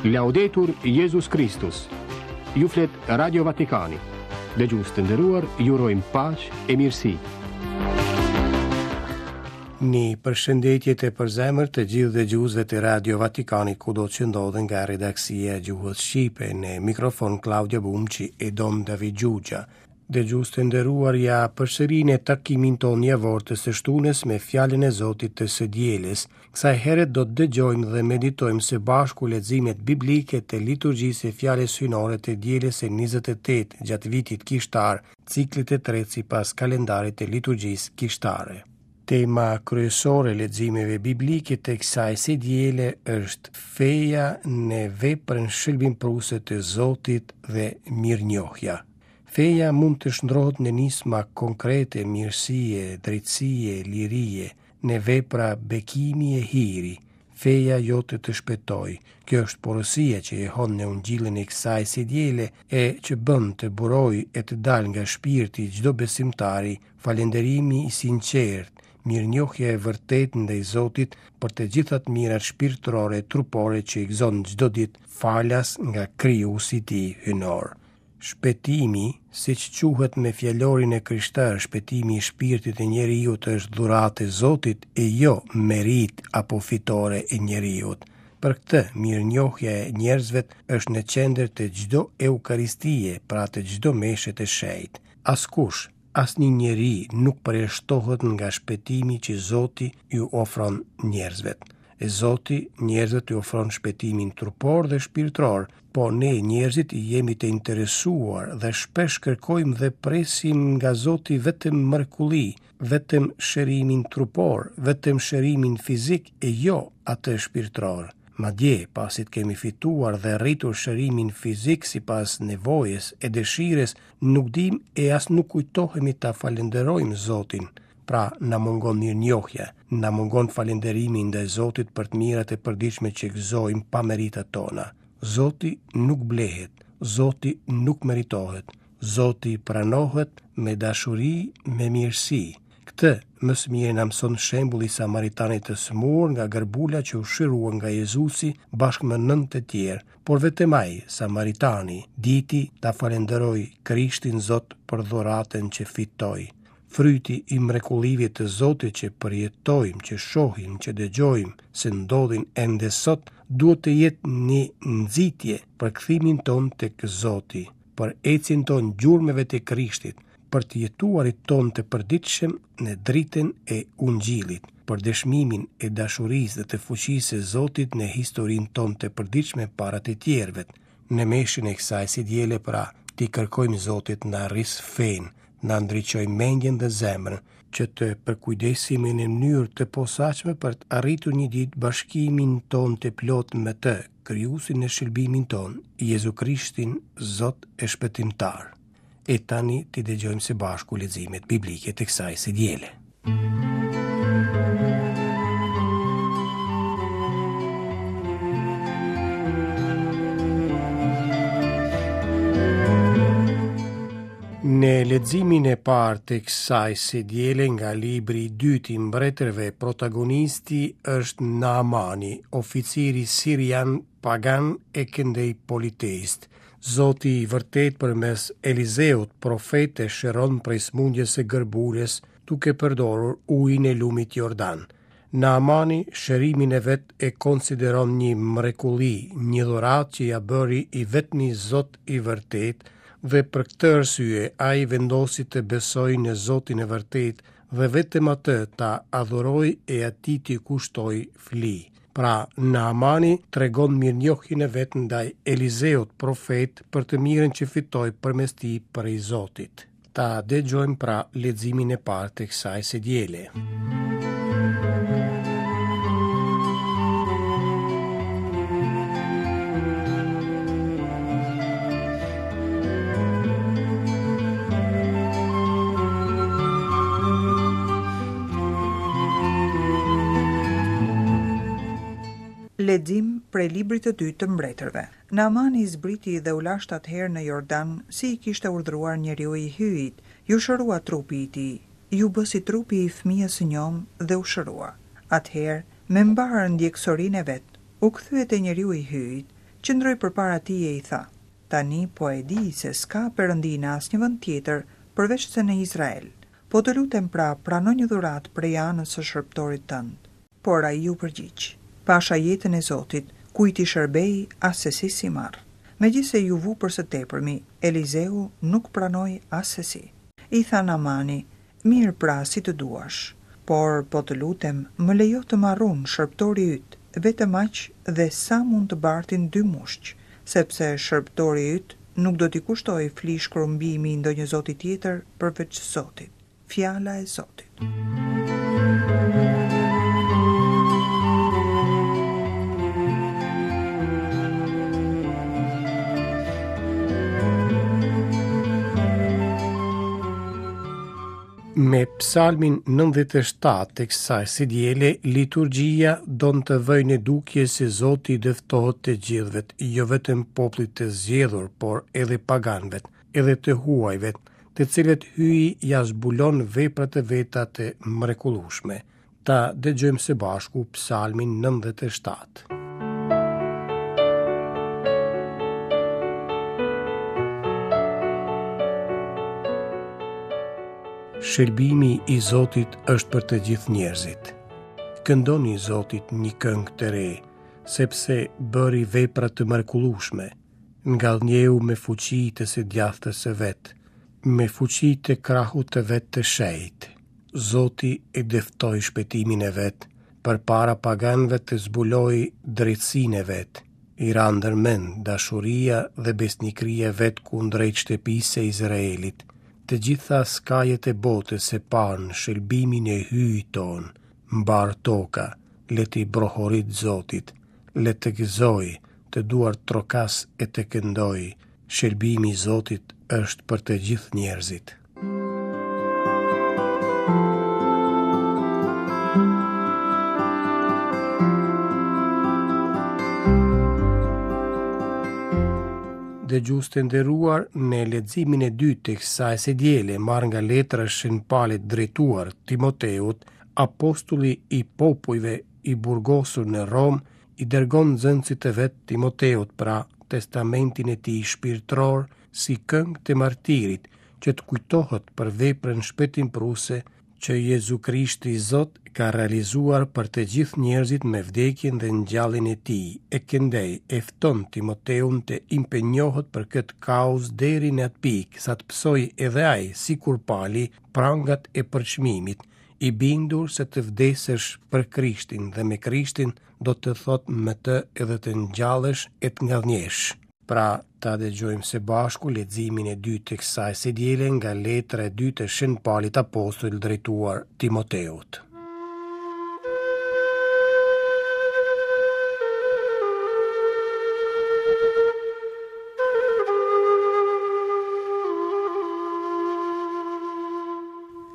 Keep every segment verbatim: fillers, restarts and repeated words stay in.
Laudetur Jezus Kristus. Ju flet Radio Vatikani. Dëgjues të nderuar, ju urojmë paqe e mirësi. Një përshëndetje të përzemërt të gjithë dëgjuesve të Radio Vatikanit kudo që ndodhen nga redaksia e gjuhës shqipe në mikrofon Klaudio Bumçi e Dom David Xhuxha. Dëgjues të nderuar, ja përsëri në takimin tonë javor të së shtunës me fjalën e Zotit të së dielës. Kësaj here do të dëgjojmë dhe meditojmë së bashku leximet biblike të liturgjisë së fjalës hyjnore të dielës së njëzet e tetë gjatë vitit kishtar, ciklit të tretë sipas kalendarit të liturgjisë kishtare. Tema kryesore e leximeve biblike të kësaj së diele është feja në veprën shëlbimprurëse të Zotit dhe mirënjohja. Feja mund të shndrohet në nisma konkrete mirësie, drejtësie, lirie, në vepra bekimi e hiri. Feja jote të shpëtoi. Kjo është porosia që jehon në ungjillin e kësaj së diele e që bën të burojë e të dalë nga shpirti i çdo besimtari falënderimi i sinqertë, mirënjohja e vërtetë ndaj Zotit për të gjitha të mirat shpirtërore e trupore që i gëzon çdo ditë falas nga krijuesi i tij hyjnor. Shpëtimi, siç quhet me fjalorin e krishterë, shpëtimi i shpirtit e njeriut është dhuratë e Zotit e jo merit apo fitore e njeriut. Për këtë, mirënjohja e njerëzve është në qendër të çdo eukaristie, pra të çdo meshe të shenjtë. Askush, asnjë njeri nuk përjashtohet nga shpëtimi që Zoti ju ofron njerëzve. E Zoti njerëzve ju ofron shpëtimin trupor dhe shpirtëror, po ne njerëzit jemi të interesuar dhe shpesh kërkojmë dhe presim nga Zoti vetëm mrekulli, vetëm shërimin trupor, vetëm shërimin fizik e jo atë shpirtëror. Madje, pasi të kemi fituar dhe rritur shërimin fizik sipas nevojës e dëshirës, nuk dim e as nuk kujtohemi ta falënderojmë Zotin. Pra, na mungon mirënjohja, na mungon falënderimi ndaj Zotit për të mirat e përditshme që gëzojmë pa meritat tona. Zoti nuk blehet, Zoti nuk meritohet, Zoti pranohet me dashuri, me mirësi. Këtë më së miri na mëson shembulli i Samaritanit të sëmurë nga gërbula që u shërua nga Jezusi bashkë me nëntë të tjerë, por vetëm ai, Samaritani, diti ta falënderojë Krishtin Zot për dhuratën që fitoi. Fryti i mrekullive të Zotit që përjetojmë, që shohim, që dëgjojmë se ndodhin ende sot, duhet të jetë një nxitje për kthimin tonë tek Zoti, për ecjen tonë gjurmëve të Krishtit, për të jetuarit tonë të përditshëm në dritën e Ungjillit, për dëshmimin e dashurisë dhe të fuqisë së Zotit në historinë tonë të përditshme para të tjerëve. Në meshën e kësaj si diele pra, t'i kërkojmë Zotit na rris fenë, na ndriçoj mendjen dhe zemrën, që të përkujdesemi në mënyrë të posaçme për të arritur një ditë bashkimin tonë të plotë me të, krijuesin e shëlbimin tonë, Jezu Krishtin, Zot e Shpëtimtar. E tani t'i dëgjojmë së bashku leximet biblike të kësaj së diele. Në leximin e parë të kësaj së diele nga libri i dytë i mbretërve, protagonisti është Naamani, oficiri sirian pagan e këndej politeist. Zoti i vërtet përmes Elizeut, profet, e shëron prej sëmundjes së gërbulës, duke përdorur ujin e lumit Jordan. Naamani shërimin e vet e konsideron një mrekulli, një dhuratë që ja bëri i vetmi Zot i vërtet, dhe për këtë arsye ai vendosi të besojë në Zotin e vërtet dhe vetëm atë ta adhurojë e atij t'i kushtojë fli. Pra, Naamani tregon mirënjohjen e vet ndaj Elizeut, profet, për të mirën që fitoi përmes tij prej Zotit. Ta dëgjojmë pra leximin e parë të kësaj së diele. Lexim prej librit të dytë të mbretërve. Naamani zbriti dhe u lasht atëherë në Jordan, si i kishte urdhëruar njeriu i Hyjit. Ju shërua trupi i tij, ju bë si trupi i fëmijës së njom dhe u shërua. Atëherë, me mbarë ndjeksorinë e vet, u kthye te njeriu i Hyjit, Qëndroi përpara tij e i tha: Tani po e di se s'ka perëndi në asnjë vend tjetër përveçse në Izrael. Po të lutem pra, prano një dhuratë prej anës së shërbëtorit tënd. Por ai iu përgjigj: Pasha jetën e Zotit, kujt i shërbej, assesi s'i marr. Megjithëse iu vu për së tepërmi, Elizeu nuk pranoi assesi. I tha Naamani: Mirë pra, si të duash. Por, po të lutem, më lejo të marr unë, shërbëtori yt, vetëm aq dhe sa mund të bartin dy mushq, sepse shërbëtori yt nuk do t'i kushtojë flish krumbimi ndonjë zoti tjetër përveç Zotit. Fjala e Zotit. Me psalmin nëntëdhjetë e shtatë të kësaj së diele, liturgjia don të vëjë në dukje se Zoti i dëftohet të gjithëve, jo vetëm popullit të zgjedhur, por edhe paganëve, edhe të huajve, të cilët Hyji ja zbulon veprat e veta të mrekullueshme. Ta dëgjojmë së bashku psalmin nëntëdhjetë e shtatë. Shërbimi i Zotit është për të gjithë njerëzit. Këndoni Zotit një këngë të re, sepse bëri vepra të mrekullueshme. Ngadhnjeu me fuqi të së djathtës së vet, me fuqi të krahut të vet të shenjtë. Zoti e dëftoi shpëtimin e vet, përpara paganëve të zbuloi drejtësinë e vet. I ra ndërmend dashuria dhe besnikëria e vet kundrejt shtëpisë së Izraelit. Të gjitha skajet e botës e panë shëlbimin e Hyjit ton, mbar toka, le t'i brohorit Zotit, le të gëzoj, të duar trokas e të këndoj, shëlbimi i Zotit është për të gjithë njerëzit. Dëgjues të nderuar, në leximin e dytë të kësaj së diele, marrë nga letra e Shën Palit drejtuar Timoteut, apostulli i popujve i burgosur në Romë, i dërgon nxënësit të vet Timoteut, pra testamentin e tij shpirtëror, si këngë të martirit, që të kujtohet për veprën shpëtimprurëse që Jezu Krishti Zot ka realizuar për të gjithë njerëzit me vdekjen dhe ngjalljen e tij. E këndej e fton Timoteun të impenjohet për këtë kauzë deri në atë pikë sa të pësojë edhe ai, sikur Pali, prangat e përçmimit, i bindur se të vdesësh për Krishtin dhe me Krishtin do të thotë me të edhe të ngjallesh e të ngadhnjesh. Pra, ta dëgjojmë së bashku leximin e dytë të kësaj së diele nga letra e dytë e Shën Palit Apostull drejtuar Timoteut.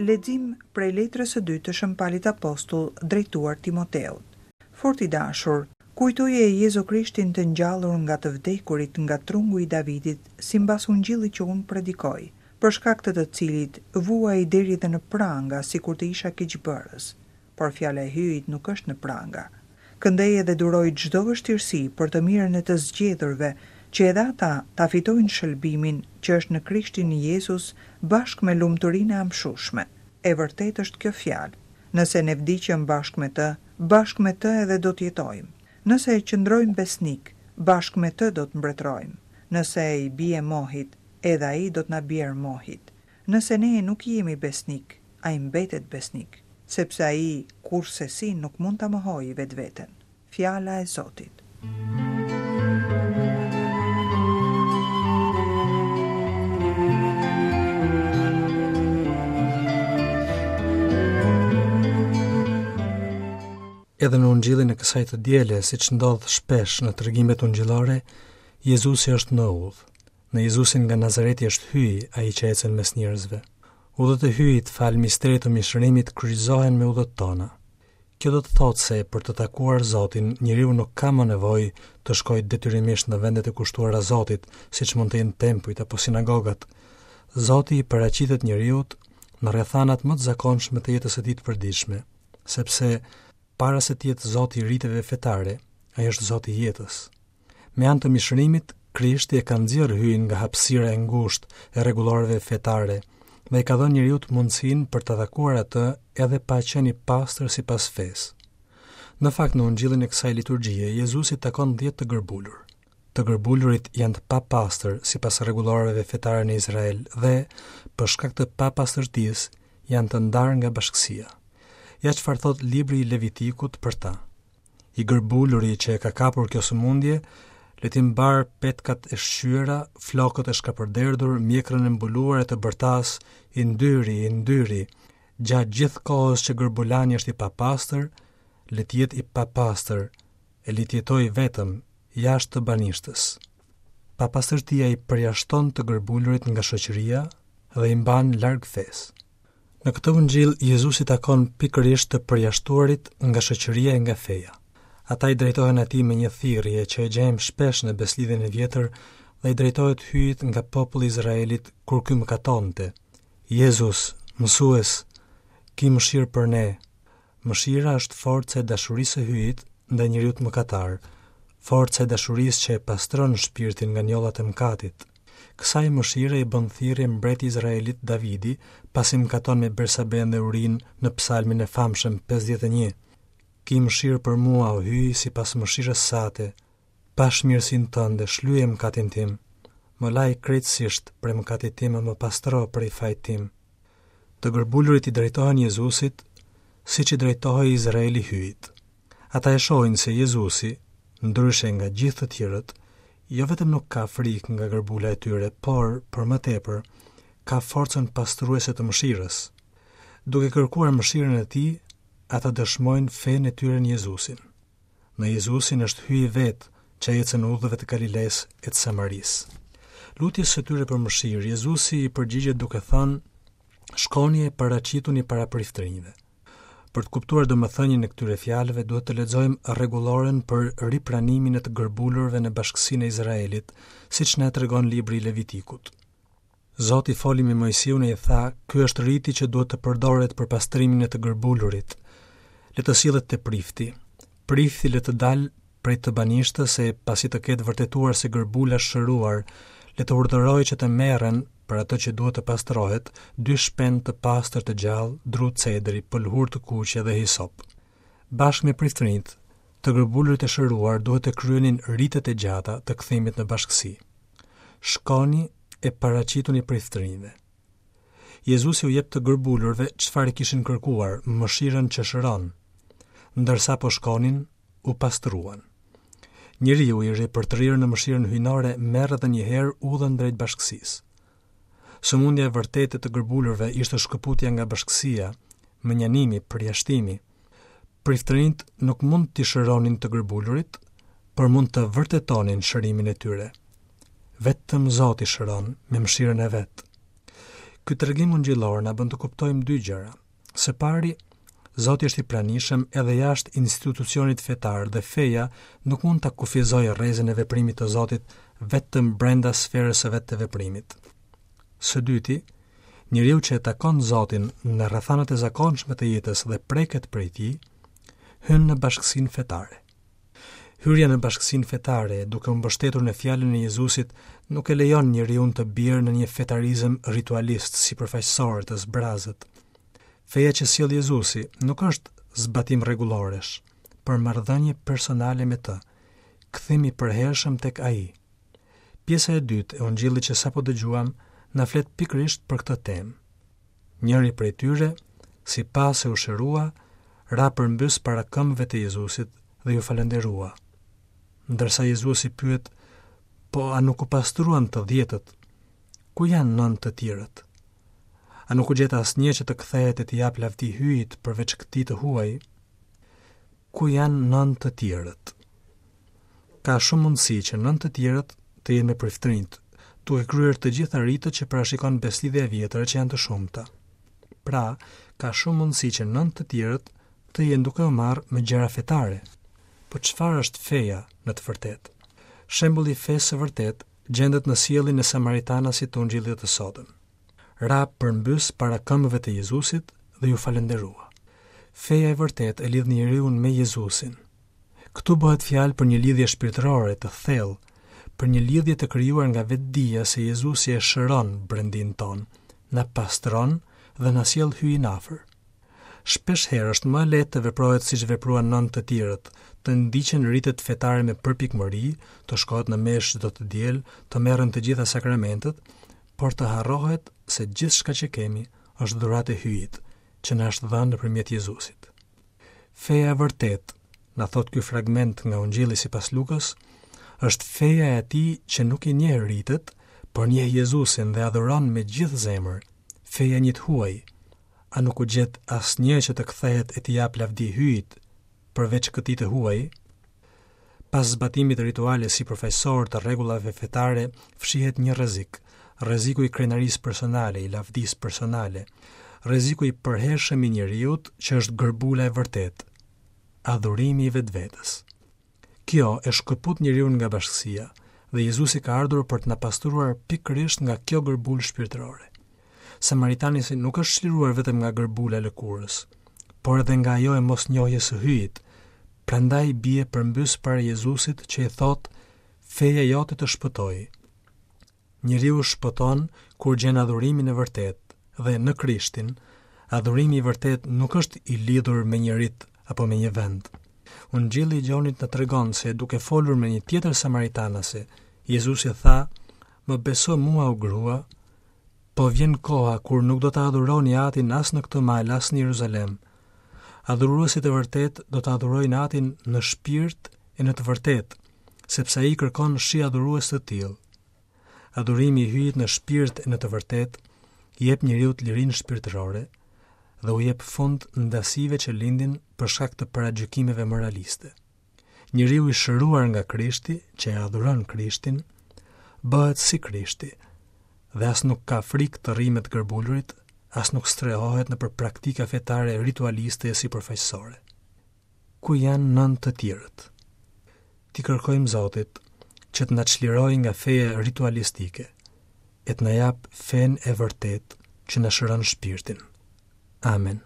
Lexim prej letrës së dytë të Shën Palit Apostull drejtuar Timoteut. Fort i dashur, kujtoje Jezu Krishtin të ngjallur nga të vdekurit nga trungu i Davidit, simbas ungjillit që unë predikoj, për shkak të të cilit vuaj deri dhe në pranga, sikur të isha keqbërës, por fjala e Hyjit nuk është në pranga. Këndej edhe duroj çdo vështirësi për të mirën e të zgjedhurve, që edhe ata ta fitojnë shëlbimin që është në Krishtin Jezus bashkë me lumturinë e amshueshme. E vërtetë është kjo fjalë. Nëse ne vdiqëm bashkë me të, bashkë me të edhe do të jetojmë. Nëse e qëndrojmë besnik, bashkë me të do të mbretërojmë. Nëse i bie mohit, edhe ai do të na bjerë mohit. Nëse ne nuk jemi besnik, ai mbetet besnik, sepse ai kurrsesi nuk mund ta mohojë vetveten. Fjala e Zotit. Edhe në ungjillin e kësaj të diele, siç ndodh shpesh në tregimet ungjillore, Jezusi është në udhë. Në Jezusin nga Nazareti është Hyji, ai që ecën mes njerëzve. Udhët e Hyjit, fal misterit të mishërimit, kryqëzohen me udhët tona. Kjo do të thotë se për të takuar Zotin, njeriu nuk ka më nevojë të shkojë detyrimisht në vendet e kushtuara Zotit, siç mund të jenë tempujt apo sinagogat. Zoti i paraqitet njeriut në rrethanat më të zakonshme të jetës së tij të përditshme, sepse para se të jetë Zoti i riteve fetare, ai është Zoti i jetës. Me anë të mishërimit, Krishti e ka nxjerrë Hyjin nga hapësira e ngushtë e rregulloreve fetare dhe i ka dhënë njeriut mundësinë për ta takuar atë edhe pa qenë i pastër sipas fesë. Në fakt, në ungjillin e kësaj liturgjie, Jezusi takon dhjetë të gërbulur. Të gërbulurit janë të papastër sipas rregulloreve fetare në Izrael dhe, për shkak të papastërtisë, janë të ndarë nga bashkësia. Ja çfarë thotë libri i Levitikut për ta. I gërbuluri që e ka kapur kjo sëmundje, le t'i mbarë petkat e shqyera, flokët e shkapërderdhur, mjekrën e mbuluar e të bërtas, i ndyri, i ndyri, gjatë gjithë kohës që gërbulani është i papastër, le të jetë i papastër, e le të jetojë vetëm, jashtë të banishtës. Papastërtia i përjashton të gërbulurit nga shoqëria dhe i mban larg fesë. Në këtë ungjill Jezusi takon pikërisht të përjashtuarit nga shoqëria e nga feja. Ata i drejtohen atij me një thirrje që e gjejmë shpesh në Beslidhjen e Vjetër dhe i drejtohet Hyjit nga populli i Izraelit kur ky mëkatonte. Jezus, mësues, ki mëshirë për ne. Mëshira është forca e dashurisë së Hyjit ndaj njeriut mëkatar, forca e dashurisë që e pastron shpirtin nga njollat e mëkatit. Kësaj mëshire i bën thirrje mbreti i Izraelit Davidi, pasi mëkaton me Bersaben dhe Urin në psalmin e famshëm pesëdhjetë e një. Ki mëshirë për mua, o Hyj, sipas mëshirës sate, pash mirësinë tënde, shlyej mëkatin tim. Më laj krejtësisht prej mëkatit tim e më pastro prej fajit tim. Të gërbulurit i drejtohen Jezusit, siç i drejtohej Izraeli Hyjit. Ata e shohin se Jezusi, ndryshe nga gjithë të tjerët, jo vetëm nuk ka frikë nga gërbula e tyre, por, për më tepër, ka forcën pastruese të mëshirës. Duke kërkuar mëshirën e tij, ata dëshmojnë fenë e tyre në Jezusin. Në Jezusin është Hyji vetë që ecën udhëve të Galilesë e të Samarisë. Lutjes së tyre për mëshirë, Jezusi i përgjigjet duke thënë: "Shkoni e paraqituni para priftërinjve." Për të kuptuar domethënien e këtyre fjalëve, duhet të lexojmë rregulloren për ripranimin e të gërbulurve në bashkësinë e Izraelit, siç na e tregon libri i Levitikut. Zoti foli me Moisiun e i tha: "Ky është riti që duhet të përdoret për pastrimin e të gërbulurit. Le të sillet te prifti. Prifti le të dalë prej të banishtës e pasi të ketë vërtetuar se gërbula është shëruar, le të urdhërojë që të merren për atë që duhet të pastrohet, dy shpend të pastër të gjallë, dru cedri, pëlhur të kuqe dhe hisop." Bashkë me priftërinjt, të gërbulurit e shëruar duhet të kryenin ritet e gjata të kthimit në bashkësi. Shkoni e paraqituni priftërinjve. Jezusi u jep të gërbulurve çfarë kishin kërkuar, mëshirën që shëron. Ndërsa po shkonin, u pastruan. Njeriu i ripërtrirë në mëshirën hyjnore merr edhe një herë udhën drejt bashkësisë. Sëmundja e vërtetë e të gërbulurve ishte shkëputja nga bashkësia, mënjanimi, përjashtimi. Priftërinjt nuk mund t'i shëronin të gërbulurit, por mund të vërtetonin shërimin e tyre. Vetëm Zoti shëron me mëshirën e vet. Ky tregim ungjillor na bën të kuptojmë dy gjëra. Së pari, Zoti është i pranishëm edhe jashtë institucionit fetar dhe feja nuk mund ta kufizojë rrezën e veprimit të Zotit vetëm brenda sferës së vet të veprimit. Së dyti, njeriu që e takon Zotin në rrethanat e zakonshme të jetës dhe preket prej tij, hyn në bashkësinë fetare. Hyrja në bashkësinë fetare, duke u mbështetur në fjalën e Jezusit, nuk e lejon njeriun të bjerë në një fetarizëm ritualist, sipërfaqësor të zbrazët. Feja që sjell Jezusi nuk është zbatim rregulloresh, por marrëdhënie personale me të, kthim i përhershëm tek ai. Pjesa e dytë e ungjillit që sapo dëgjuam na flet pikërisht për këtë temë. Njëri prej tyre, si pa se u shërua, ra përmbys para këmbëve të Jezusit dhe ju falënderua. Ndërsa Jezusi pyet, po a nuk u pastruan të dhjetët? Ku janë nëntë të tjerët? A nuk u gjet asnjë që të kthehet e t'i jap lavdi Hyjit përveç këtij të huaj? Ku janë nëntë të tjerët? Ka shumë mundësi që nëntë të tjerët të jenë me priftërinjt, duke kryer të gjitha ritet që parashikon beslidhja e vjetër që janë të shumta. Pra, ka shumë mundësi që nëntë të tjerët të jenë duke u marrë me gjëra fetare. Po çfarë është feja në të vërtetë? Shembulli i fesë së vërtetë gjendet në sjelljen e Samaritanasit të Ungjillit të sotëm. Ra përmbys para këmbëve të Jezusit dhe ju falënderua. Feja e vërtetë e lidh njeriun me Jezusin. Këtu bëhet fjalë për një lidhje shpirtërore të thellë, për një lidhje të krijuar nga vetëdija se Jezusi e shëron brendinë tonë, na pastron dhe na sjell Hyjin afër. Shpesh herë është më lehtë të veprohet siç vepruan nëntë të tjerët, të ndiqen ritet fetare me përpikmëri, të shkohet në meshë çdo të diel, të merren të gjitha sakramentet, por të harrohet se gjithçka që kemi është dhuratë e Hyjit, që na është dhënë nëpërmjet Jezusit. Feja e vërtetë, na thotë ky fragment nga Ungjilli sipas Lukës, është feja e atij që nuk i njeh ritet, por njeh Jezusin dhe adhuron me gjithë zemër, feja e një të huaj. A nuk u gjet asnjë që të kthehet e t'i japë lavdi Hyjit, përveç këtij të huaj? Pas zbatimit rituale sipërfaqësor të rregullave fetare, fshihet një rrezik, rreziku i krenarisë personale, i lavdisë personale, rreziku i përhershëm i njeriut që është gërbula e vërtetë, adhurimi i vetvetes. Kjo e shkëput njeriun nga bashkësia dhe Jezusi ka ardhur për të na pastruar pikërisht nga kjo gërbulë shpirtërore. Samaritani nuk është çliruar vetëm nga gërbula e lëkurës, por edhe nga ajo e mosnjohjes së Hyjit. Prandaj bie përmbys para Jezusit që i thotë: "Feja jote të shpëtoi." Njeriu shpëton kur gjen adhurimin e vërtetë dhe në Krishtin, adhurimi i vërtetë nuk është i lidhur me një rit apo me një vend. Ungjilli i Gjonit na tregon se duke folur me një tjetër samaritanase, Jezusi tha: "Më beso mua, o grua, po vjen koha kur nuk do të adhuroni Atin as në këtë mal, as në Jeruzalem. Adhuruesit e vërtetë do të adhurojnë Atin në shpirt e në të vërtetë, sepse ai kërkon shi adhurues të tillë." Adhurimi i Hyjit në shpirt e në të vërtetë i jep njeriut lirinë shpirtërore dhe u jep fund ndasive që lindin për shkak të paragjykimeve moraliste. Njeriu i shëruar nga Krishti, që e adhuron Krishtin, bëhet si Krishti dhe as nuk ka frikë të rrijë me të gërbulurit, as nuk strehohet nëpër praktika fetare ritualiste e sipërfaqësore. Ku janë nëntë të tjerët? Ti kërkojmë Zotit që të na çlirojë nga feja ritualistike e të na jap fenë e vërtetë që na shëron shpirtin. Amen.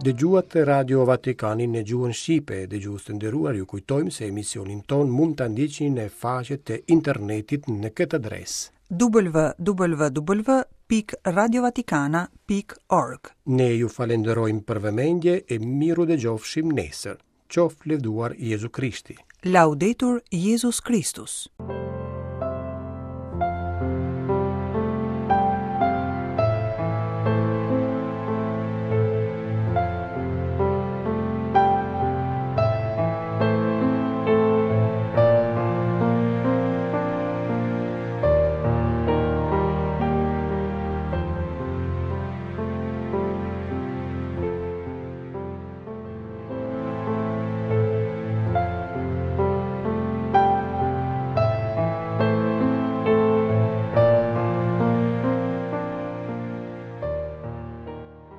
Dëgjuat Radio Vatikanin në gjuhën shqipe. Dëgjues të nderuar, ju kujtojmë se emisionin ton mund ta ndiqni në faqet e internetit në këtë adresë: w w w pikë radiovatikana pikë org. Ne ju falenderojmë për vëmendje e miru dëgjofshim nesër. Qoftë lëvduar Jezu Krishti. Laudetur Jezus Kristus.